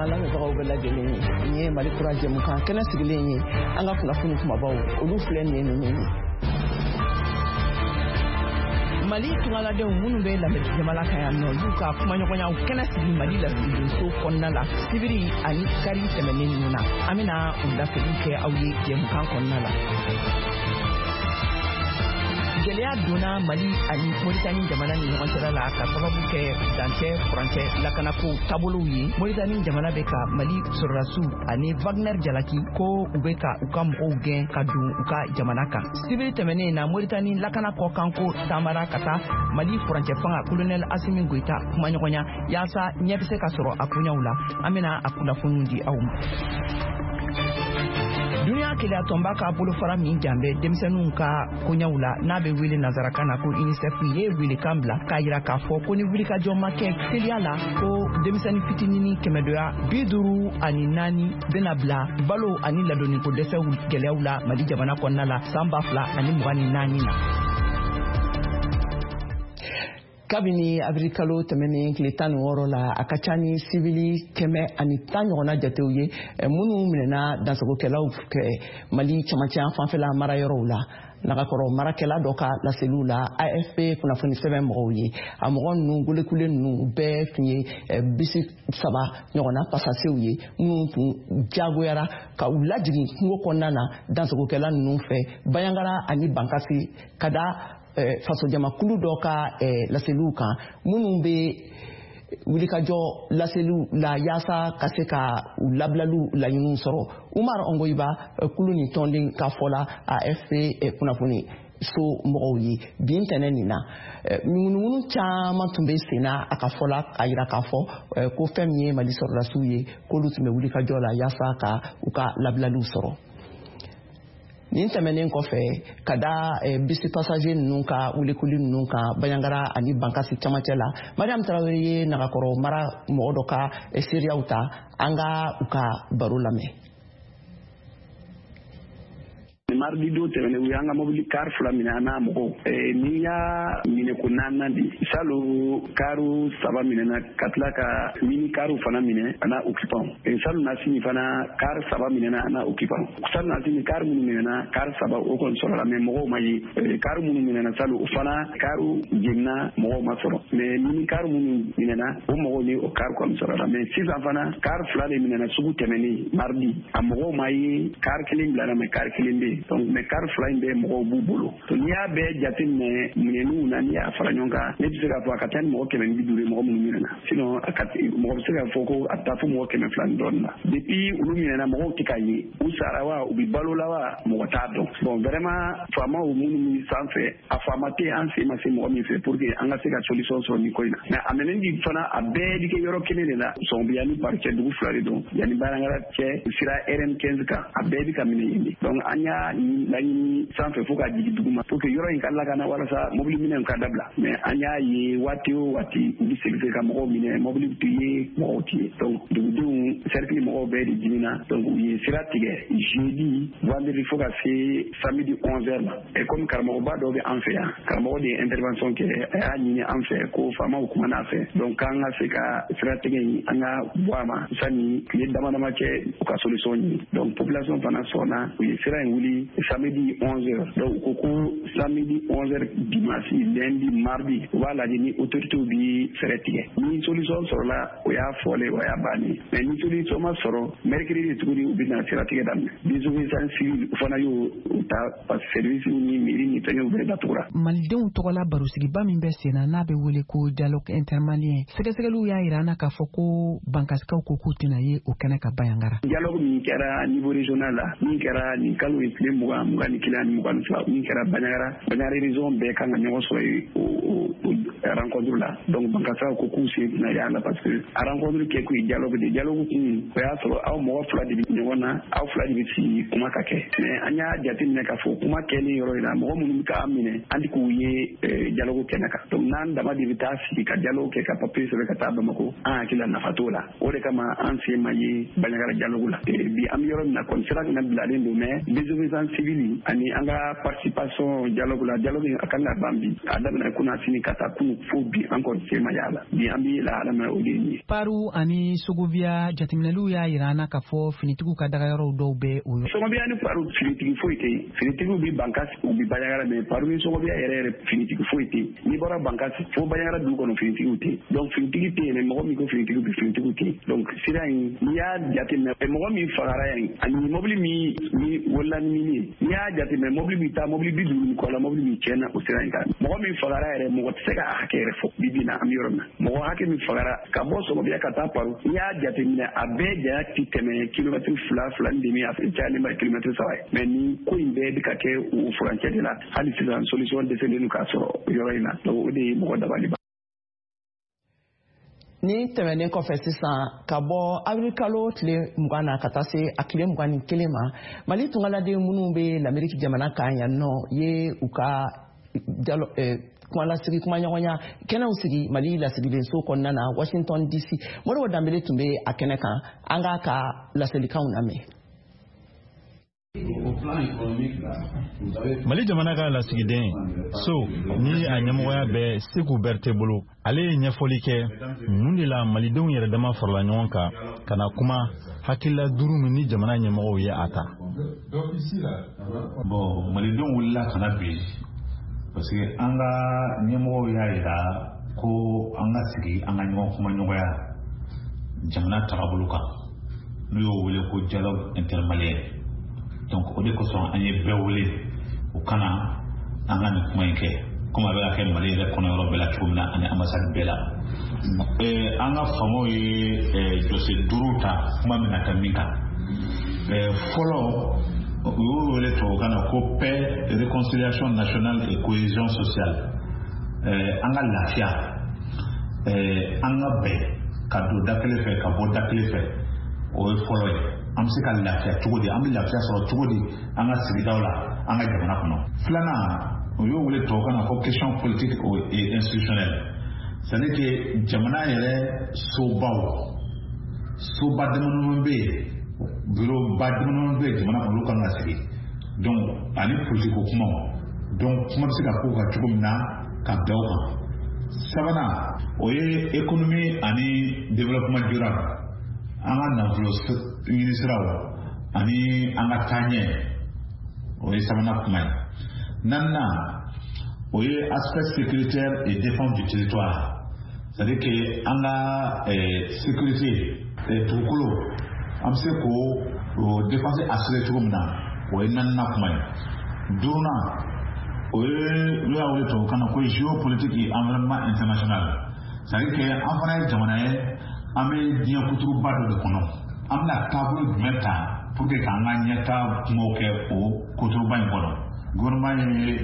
An lamɛnbagaw bɛɛ lajɛlen ye, nin ye Mali Kura jɛmukan kɛnɛ sigilen ye. An ka kunnafoni kumabaw, olu filɛ nin ye ninnu ye. Mali tungaladenw minnu bɛ Lamɛriki jamana kan yan nɔ, y'u ka kumaɲɔgɔnyaw kɛnɛ sigi Mali lasigidenso kɔnɔna la sibiri ani kari tɛmɛnen ninnu na. An bɛna u laseliw kɛ aw ye jɛmukan kɔnɔna la. Gɛlɛya donna Mali ani Moritani jamana ni ɲɔgɔn cɛla la ka sababu kɛ dancɛ furancɛ lakanako taabolow ye. Moritani jamana bɛ ka Mali sɔrɔdasiw ani Wagner jalaki ko u bɛ ka u ka mɔgɔw gɛn ka don u ka jamana kan. Sibiri tɛmɛnen na, Moritani lakana kɔkanko taamara ka taa Mali furancɛ fanga Colonel Asimi Goyita kumaɲɔgɔnya yaasa ɲɛ bɛ se ka sɔrɔ a koɲɛw la. An bɛna a kunnafoniw di aw ma. Duniya kelenya tɔnba ka bolofara min jan bɛ denmisɛnninw ka koɲɛw la, n'a bɛ wele nansarakan na ko UNICEF, ye welekan bila k'a yira k'a fɔ ko ni wulikajɔ ma kɛ teliya la, ko denmisɛnnin fitininin 154 bɛna bila balo ani ladonniko dɛsɛw gɛlɛyaw la Mali jamana kɔnɔna la san 2024 na. Kabini abirikalo tɛmɛnen tile 16 la, a ka ca ni sibili 110 ɲɔgɔnna jatew ye minnu minɛna dansagokɛlaw fɛ Mali camancɛ fanfɛla marayɔrɔw la. Nagakɔrɔ marakɛla dɔ ka laseliw la AFP kunnafoni sɛbɛn mɔgɔw ye, a mɔgɔ ninnu golekule ninnu bɛɛ tun ye bisi saba ɲɔgɔnna pasasew ye minnu tun jagoyara ka u lajigin kungo kɔnɔna na dansagokɛla ninnu fɛ Bayangara ani Bankasi, ka da fasojamakulu dɔ ka laseliw kan minnu bɛ wulikajɔ laseliw la yaasa ka se ka u labilaliw laɲiniw sɔrɔ. Umar Ongoyiba, kulu ni tɔnden ka fɔ la AFP kunnafoni so mɔgɔw ye, bi ntɛnɛn nin na, ŋunuŋunu caman tun bɛ sen na a ka fɔ la, k'a yira k'a fɔ ko fɛn min ye Mali sɔrɔdasiw ye, k'olu tun bɛ wulikajɔ la yaasa ka u ka labilaliw sɔrɔ. Nin tɛmɛnen kɔfɛ, ka da bisi passager ninnu ka wulikuli ninnu kan Bayangara ani Bankasi camancɛ la, Mariam Tarawele ye Nagakɔrɔ mara mɔgɔ dɔ ka seereyaw ta. An ka u ka baro lamɛn. Mardi don tɛmɛnen, u y'an ka mobili car fila minɛ an n'a mɔgɔw. Nin y'a minɛ ko naaninan di. Salo, kariw saba minɛna, ka tila ka mini kariw fana minɛ a n'a occupant. Salo nasini fana, car saba minɛna a n'a occupant. Salo nasini, car minnu minɛna, car saba o kɔni sɔrɔla, mais mɔgɔw ma ye. Car minnu minɛna salo, o fana kariw jenina, mɔgɔw ma sɔrɔ, mais mini car minnu minɛna, o mɔgɔw ni o car kɔni sɔrɔla. Mais sisan fana, car fila de minɛna sugu tɛmɛnen mardi, a mɔgɔw ma ye. Car kelen bilara, mais car kelen bɛ yen. Donc, mais car fila in bɛɛ mɔgɔw b'u bolo. Donc n'i y'a bɛɛ jateminɛ minɛniw na, n'i y'a fara ɲɔgɔn kan, ne bɛ se k'a fɔ a ka ca ni mɔgɔ 150 ye mɔgɔ minnu minɛna. Sinon a ka mɔgɔ bɛ se k'a fɔ ko a bɛ taa fo mɔgɔ 200 ni dɔɔnin na. Depuis olu minɛna, mɔgɔw tɛ ka ye. U sara wa, u bɛ balo la wa, mɔgɔ t'a dɔn. Bon, vraiment, faamaw minnu bɛ sanfɛ, a faama tɛ an sen ma se mɔgɔ min fɛ pour que an ka se ka solution sɔrɔ nin ko in na. Mais a minɛni fana, a bɛɛ bɛ kɛ yɔrɔ kelen de la, Sɔnbiya ni Bari cɛ, dugu fila de don, yanni Bayangara cɛ, sira RN 15 kan, a bɛɛ bɛ ka minɛ yen de. Donc an y'a laɲini sanfɛ fo ka jigin dugu ma pour que yɔrɔ in ka lakana, walasa mobili minɛw ka dabila. Mais an y'a ye, waati o waati u bɛ segin ka mɔgɔw minɛ, mobili tɛ ye, mɔgɔw tɛ ye. Donc dugudenw, cercle mɔgɔw bɛɛ de dimina. Donc u ye sira tigɛ jeudi, vendredi, fo ka se samedi 11 heures ma. Et comme karamɔgɔba dɔ bɛ an fɛ yan, karamɔgɔ de ye intervention kɛ, a y'a ɲini an fɛ ko faamaw kumana a fɛ, donc k'an ka se ka sira tigɛ in, an ka bɔ a ma sani tile dama dama cɛ, u ka solution ɲini. Donc population fana sɔnna, u ye sira in wuli samedi 11 heures. Donc u ko ko samedi 11 heures, dimanche, lundi, mardi, u b'a lajɛ ni autorités bi fɛɛrɛ tigɛ. Ni solution sɔrɔla, o y'a fɔlen, o y'a bannen. Mais ni solution ma sɔrɔ, mercredi tuguni u bɛna sira tigɛ daminɛ. Désobéissance civile, u fana y'o ta, parce que service ni mairie ni fɛngɛw bɛɛ datugura. Malidenw tɔgɔla barosigiba min bɛ sen na, n'a bɛ wele ko dialogue intermalien, sɛgɛsɛgɛliw y'a yira an na k'a fɔ ko Bankasikaw ko k'u tɛna ye o kɛnɛ ka Bayangara. Dialogue min kɛra niveau régional la, min kɛra nin kalo ye tile 20, 21 ani 22, min kɛra Bandiagara, Bandiagara région bɛɛ kan ka ɲɔgɔn sɔrɔ yen o rencontre la. Donc Bankasaw ko k'u sen tɛna y'a la, parce que a rencontre kɛ kun ye dialogue de. Dialogue kun, o y'a sɔrɔ aw mɔgɔ fila de bɛ ɲɔgɔn na, aw fila de bɛ sigi kuma ka kɛ. Mais an y'a jateminɛ k'a fɔ kuma kɛlen yɔrɔ in na, mɔgɔ minnu bɛ k'an minɛ, an tɛ k'u ye dialogue kɛnɛ kan. Donc n'an dama de bɛ taa sigi ka dialogue kɛ, ka papier sɛbɛn ka taa Bamako, an hakili la nafa t'o la. O de kama an sen ma ye Bandiagara dialogue la. Bi an bɛ yɔrɔ min na kɔni, sira kana bilalen don, mais désobéissance civile ani an ka participation dialogue la, dialogue a kan ka ban bi, a daminɛ kunasini ka taa. kunu fo bi, an kɔni sen ma y'a la. Bi an bɛ lahala min na, o de ye nin ye. Paru ani Sogobiya, jateminɛliw y'a yira an na k'a fɔ finitigiw ka dagayɔrɔw dɔw bɛ o yɔrɔ. Sogobiya ni Paru, finitigi foyi tɛ yen. Finitigiw bɛ Bankasi, u bɛ Banjagara, mais Paru ni Sogobiya yɛrɛ yɛrɛ, finitigi foyi tɛ yen. N'i bɔra Bankasi fo Banjagara dugu kɔnɔ, finitigiw tɛ yen. Donc finitigi tɛ yen. Mɔgɔ min ko finitigiw bɛ, finitigiw tɛ yen. Donc sira in, n'i y'a jateminɛ, mɔgɔ min fagara yan ani mobili min ni wolola ni min ye, n'i y'a jateminɛ, mobili bɛ taa mobili 50 ni kɔ la, mobili min tiɲɛna o sira in kan, mɔgɔ min fagara yɛrɛ, mɔgɔ tɛ se k'a hakɛ yɛrɛ fɔ. Bi bi in na, an bɛ yɔrɔ min na, mɔgɔ hakɛ min fagara ka bɔ Sɔgɔbiya ka taa Paru, n'i y'a jateminɛ, a bɛɛ janya ti tɛmɛ kilomɛtiri 2, 2.5, a cayalen ba kilomɛtiri 3 ye. Mais nin ko in bɛɛ bɛ ka kɛ o furancɛ de la. Hali sisan, solution dɛsɛlen don k'a sɔrɔ yɔrɔ in na. Donc o de ye mɔgɔ dabali ban. Ni tɛmɛnen kɔfɛ sisan, ka bɔ avril kalo tile 20 na ka taa se a tile 21 ma, Mali tungaladen minnu bɛ Lameriki jamana kan yan nɔ ye u ka kumalasigi, kumaɲɔgɔnya kɛnɛw sigi Mali lasigidenso kɔnɔna na Washington DC. Modibo Danbele tun bɛ a kɛnɛ kan. An k'a ka laselikanw lamɛn. Mali jamana ka lasigiden so ni a ɲɛmɔgɔya bɛ Seku Bɛrite bolo, ale ye ɲɛfɔli kɛ mun de la malidenw yɛrɛ dama farala ɲɔgɔn kan ka na kuma hakilila duuru min ni jamana ɲɛmɔgɔw ye a ta. Bon, malidenw wulila ka na bi parce que an ka ɲɛmɔgɔw y'a yira ko an ka sigi, an ka ɲɔgɔn kuma ɲɔgɔnya jamana tagabolo kan, n'u y'o wele ko dialogue intermalien. Donc o de kosɔn an ye bɛɛ wele u kana an ka nin kuma in kɛ, komi a bɛ ka kɛ Mali yɛrɛ kɔnɔ yɔrɔ bɛɛ la cogo min na ani ambassade bɛɛ la. An ka faamaw ye jɔsen duuru ta kuma min na ka min kan, fɔlɔ, u y'o wele tubabukan na ko paix, réconciliation nationale et cohésion sociale. An ka lafiya, an ka bɛn ka don da kelen fɛ, ka bɔ da kelen fɛ, o ye fɔlɔ ye. An bɛ se ka lafiya cogo di? An bɛ lafiya sɔrɔ cogo di an ka sigidaw la, an ka jamana kɔnɔ? Filanan, o y'o wele tubabukan na ko question politique et institutionnelle, c'est à dire que jamana yɛrɛ sobaw, soba damadama bɛ yen, bureau ba damadama bɛ yen jamana kɔnɔ, olu kan ka sigi. Donc ani politique ko kumaw, donc kuma bɛ se ka k'o kan cogo min na ka bɛn o kan. Sabanan, o ye économie ani développement durable, an ka nafolo ɲini siraw ani an ka taaɲɛ, o ye sabanan kuma ye. Naaninan, o ye aspect sécuritaire et défense du territoire, c'est à dire que an ka sécurité dugukolo, an bɛ se k'o défense assurer cogo min na, o ye naaninan kuma ye. Duurunan, o ye n'o y'a wele tubabukan na ko géopolitique et environnement international, c'est à dire que an fana ye jamana ye, an bɛ diɲɛ kuturuba dɔ de kɔnɔ. An bɛna taabolo jumɛn ta pour que k'an ka ɲɛta kumaw kɛ o kuturuba in kɔnɔ? Gouvernement ye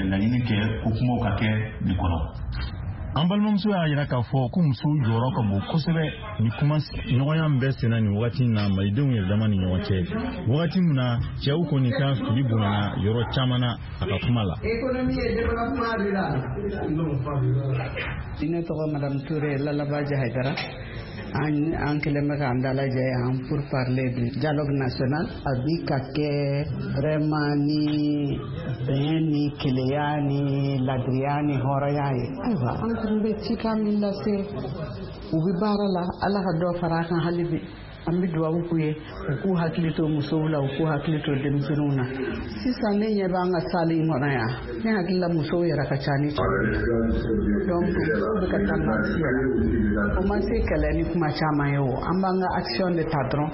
laɲini kɛ ko kumaw ka kɛ nin kɔnɔ. An balimamuso y'a yira k'a fɔ ko musow jɔyɔrɔ ka bon kosɛbɛ ni kuma ɲɔgɔnya min bɛ senna nin wagati in na malidenw yɛrɛ dama ni ɲɔgɔn cɛ, wagati min na cɛw kɔni ka fili bonyana yɔrɔ caman na, a ka kuma la. Ne tɔgɔ Madame Touré Lalabaji Haidara. An kɛlen bɛ k'an dalajɛ yan pour parler du dialogue national. A bi ka kɛ vraiment ni bɛn ni keleya ni ladiriya ni hɔrɔnya ye. Ayiwa, an tun bɛ cikan min lase, u bɛ baara la, Ala ka dɔ fara a kan hali bi. An bɛ dugawu k'u ye, u k'u hakili to musow la, u k'u hakili to denmisɛnninw na. Sisan ne ɲɛ b'an ka salle in kɔnɔ yan, ne hakili la musow yɛrɛ ka ca ni cɛw ye. Donc musow bɛ ka tendance yɛlɛ. O ma se kɛlɛ ni kuma caman ye o, an b'an ka action de ta dɔrɔn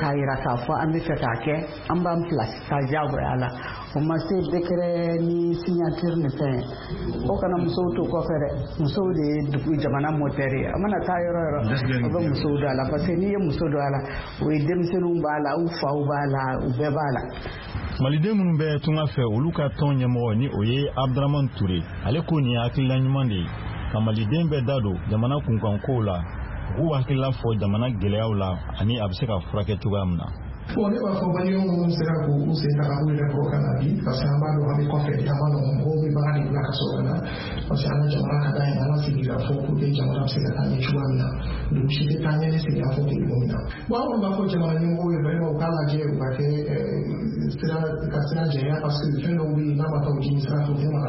k'a yira k'a fɔ an bɛ fɛ k'a kɛ, an b'an place ta diyagoya la. O ma se décret ni signature ni fɛn ye. O kana musow to kɔfɛ dɛ. Musow de ye dugu jamana moteur ye. A mana taa yɔrɔ yɔrɔ, o bɛ musow don a la, parce que n'i ye muso don a la, o ye denmisɛnninw b'a la, u faw b'a la, u bɛɛ b'a la. Maliden minnu bɛ tunga fɛ, olu ka tɔn ɲɛmɔgɔ ni o ye Abdramane Ture, ale ko nin ye hakilila ɲuman de ye ka maliden bɛɛ da don jamana kunkankow la, u k'u hakilila fɔ jamana gɛlɛyaw la ani a bɛ se ka furakɛ cogoya min na. Bon, ne b'a fɔ maliyɛnw minnu sera k'u sen ta ka u yɛrɛ kɔrɔ ka na bi, parce que an b'a dɔn an bɛ kɔfɛ, a ma nɔgɔn, mɔgɔw bɛ baara de bila ka sɔrɔ ka na, parce que an ka jamana ka d'an ye, an ka sigi ka fɔ pour que jamana bɛ se ka taa ɲɛ cogoya min na. Dugu si tɛ taa ɲɛ ni sigi ka fɔ tɛ yɔrɔ min na. Bon, an kɔni b'a fɔ jamana ɲɛmɔgɔw ye vraiment u k'a lajɛ, u ka kɛ sira ka sira jɛya, parce que fɛn dɔw bɛ yen, n'a ma taa o jimi sira fɛ, u tɛ maga la.